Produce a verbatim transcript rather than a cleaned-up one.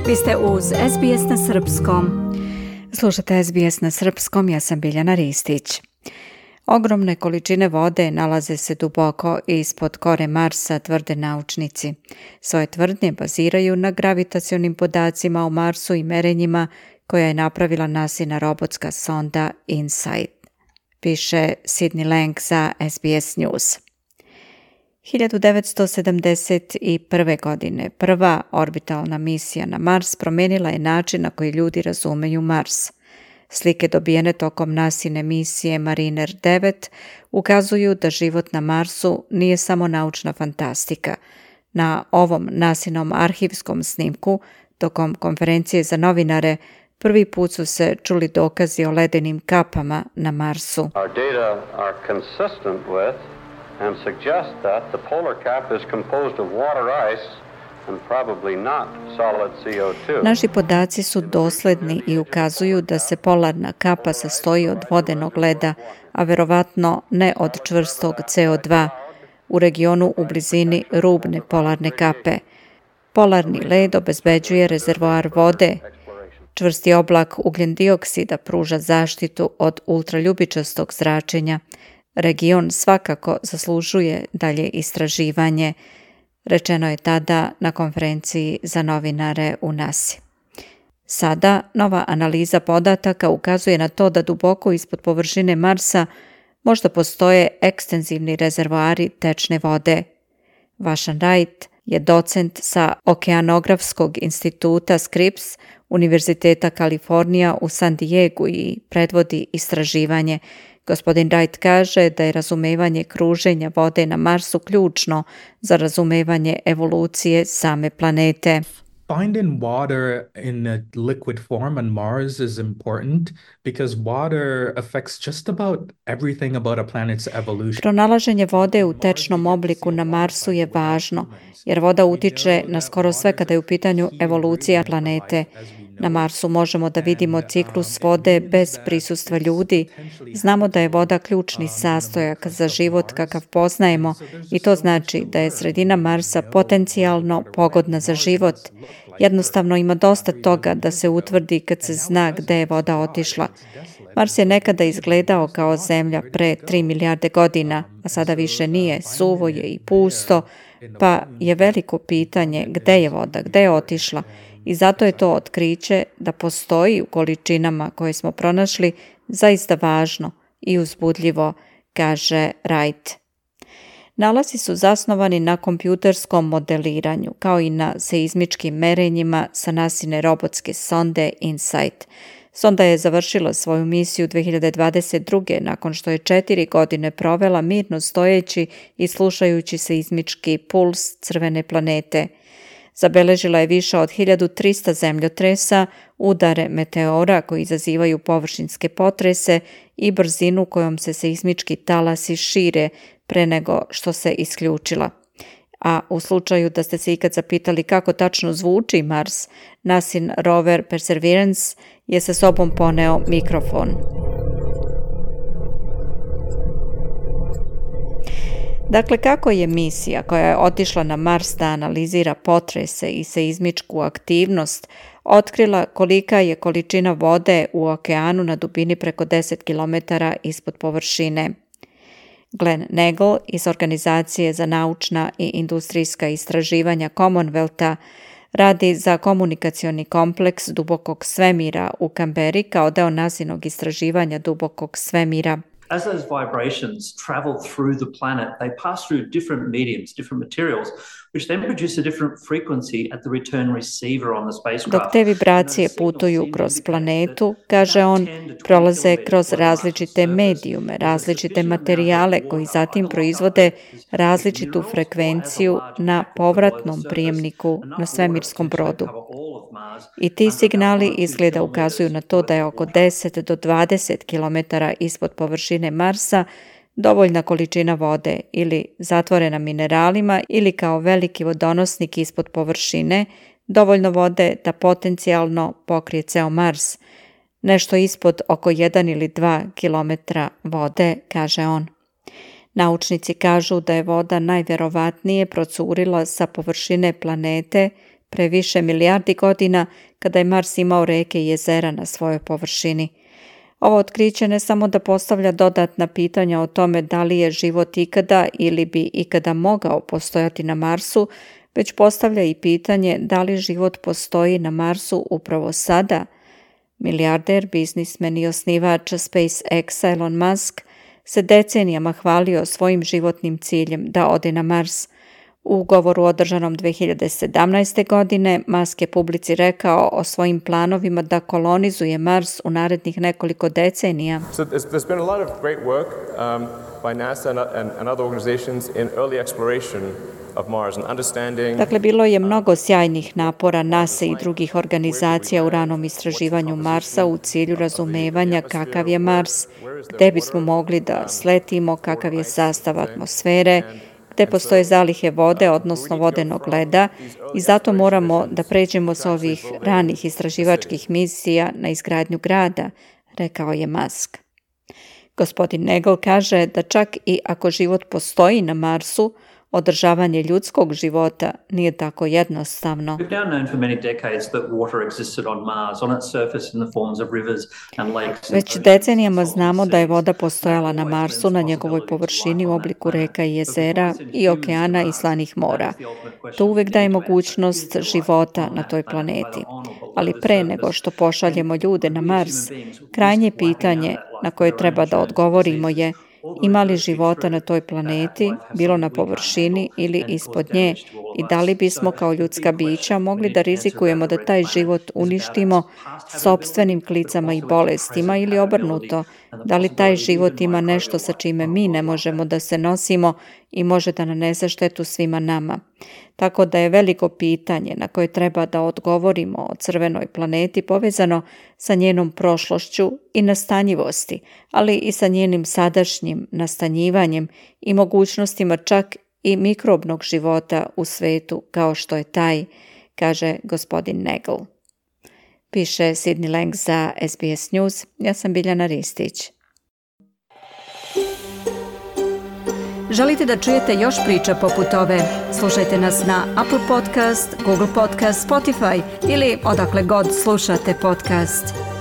Vi ste uz S B S na srpskom. Slušate S B S na srpskom, ja sam Biljana Ristić. Ogromne količine vode nalaze se duboko ispod kore Marsa, tvrde naučnici. Svoje tvrdnje baziraju na gravitacionim podacima o Marsu i merenjima koja je napravila NASIna robotska sonda InSight, piše Sidney Lang za S B S News. hiljadu devetsto sedamdeset prve. godine prva orbitalna misija na Mars promijenila je način na koji ljudi razumeju Mars. Slike dobijene tokom NASIne misije Mariner devet ukazuju da život na Marsu nije samo naučna fantastika. Na ovom NASInom arhivskom snimku, tokom konferencije za novinare, prvi put su se čuli dokazi o ledenim kapama na Marsu. Our data are consistent with and suggest that the polar cap is composed of water ice and probably not solid C O two. Naši podaci su dosledni i ukazuju da se polarna kapa sastoji od vodenog leda, a verovatno ne od čvrstog C O dva, u regionu u blizini rubne polarne kape. Polarni led obezbeđuje rezervoar vode. Čvrsti oblak ugljen dioksida pruža zaštitu od ultraljubičastog zračenja. Region svakako zaslužuje dalje istraživanje, rečeno je tada na konferenciji za novinare u NASI. Sada nova analiza podataka ukazuje na to da duboko ispod površine Marsa možda postoje ekstenzivni rezervoari tečne vode. Vašan Wright je docent sa Okeanografskog instituta Scripps Univerziteta Kalifornija u San Diegu i predvodi istraživanje. Gospodin Wright kaže da je razumevanje kruženja vode na Marsu ključno za razumevanje evolucije same planete. Finding water in a liquid form on Mars is important because water affects just about everything about a planet's evolution. Pronalaženje vode u tečnom obliku na Marsu je važno, jer voda utiče na skoro sve kada je u pitanju evolucija planete. Na Marsu možemo da vidimo ciklus vode bez prisustva ljudi. Znamo da je voda ključni sastojak za život kakav poznajemo i to znači da je sredina Marsa potencijalno pogodna za život. Jednostavno ima dosta toga da se utvrdi kad se zna gde je voda otišla. Mars je nekada izgledao kao Zemlja pre tri milijarde godina, a sada više nije, suvo je i pusto, pa je veliko pitanje gde je voda, gde je otišla. I zato je to otkriće da postoji u količinama koje smo pronašli zaista važno i uzbudljivo, kaže Wright. Nalazi su zasnovani na kompjuterskom modeliranju, kao i na seizmičkim merenjima sa NASIne robotske sonde InSight. Sonda je završila svoju misiju dve hiljade dvadeset druge. nakon što je četiri godine provela mirno stojeći i slušajući seizmički puls crvene planete. Zabeležila je više od hiljadu trista zemljotresa, udare meteora koji izazivaju površinske potrese i brzinu kojom se seizmički talasi šire pre nego što se isključila. A u slučaju da ste se ikad zapitali kako tačno zvuči Mars, NASIn rover Perseverance je sa sobom poneo mikrofon. Dakle, kako je misija koja je otišla na Mars da analizira potrese i seizmičku aktivnost otkrila kolika je količina vode u okeanu na dubini preko deset kilometara ispod površine? Glenn Nagle iz Organizacije za naučna i industrijska istraživanja Commonwealtha radi za komunikacioni kompleks dubokog svemira u Kamberi kao deo NASInog istraživanja dubokog svemira. As those vibrations travel through the planet, they pass through different mediums, different materials, which then produce a different frequency at the return receiver on the spacecraft. Dok te vibracije putuju kroz planetu, kaže on, prolaze kroz različite medijume, različite materijale koji zatim proizvode različitu frekvenciju na povratnom prijemniku na svemirskom brodu. I ti signali izgleda ukazuju na to da je oko deset do dvadeset kilometara ispod površine Marsa dovoljna količina vode ili zatvorena mineralima ili kao veliki vodonosnik ispod površine, dovoljno vode da potencijalno pokrije ceo Mars. Nešto ispod oko jedan ili dva kilometra vode, kaže on. Naučnici kažu da je voda najverovatnije procurila sa površine planete pre više milijardi godina kada je Mars imao reke i jezera na svojoj površini. Ovo otkriće ne samo da postavlja dodatna pitanja o tome da li je život ikada ili bi ikada mogao postojati na Marsu, već postavlja i pitanje da li život postoji na Marsu upravo sada. Milijarder, biznismen i osnivač SpaceX Elon Musk se decenijama hvalio svojim životnim ciljem da ode na Mars. U govoru održanom dve hiljade sedamnaeste. godine Musk je publici rekao o svojim planovima da kolonizuje Mars u narednih nekoliko decenija. So there's, there's been a lot of great work um, by NASA and, and, and other organizations in early exploration of Mars and understanding. Dakle, bilo je mnogo sjajnih napora NASA i drugih organizacija u ranom istraživanju Marsa u cilju razumevanja kakav je Mars, gde bismo mogli da sletimo, kakav je sastav atmosfere, gde postoje zalihe vode, odnosno vodenog leda, i zato moramo da pređemo sa ovih ranih istraživačkih misija na izgradnju grada, rekao je Musk. Gospodin Nagel kaže da čak i ako život postoji na Marsu, održavanje ljudskog života nije tako jednostavno. Već decenijama znamo da je voda postojala na Marsu na njegovoj površini u obliku reka i jezera i okeana i slanih mora. To uvek daje mogućnost života na toj planeti. Ali pre nego što pošaljemo ljude na Mars, krajnje pitanje na koje treba da odgovorimo je: ima li života na toj planeti, bilo na površini ili ispod nje, i da li bismo kao ljudska bića mogli da rizikujemo da taj život uništimo sopstvenim klicama i bolestima ili obrnuto, da li taj život ima nešto sa čime mi ne možemo da se nosimo i može da nanese štetu svima nama. Tako da je veliko pitanje na koje treba da odgovorimo o crvenoj planeti povezano sa njenom prošlošću i nastanjivosti, ali i sa njenim sadašnjim nastanjivanjem i mogućnostima čak i mikrobnog života u svetu kao što je taj, kaže gospodin Nagel. Piše Sidney Lang za S B S News. Ja sam Biljana Ristić. Želite da čujete još priča poput ove? Slušajte nas na Apple Podcast, Google Podcast, Spotify ili odakle god slušate podcast.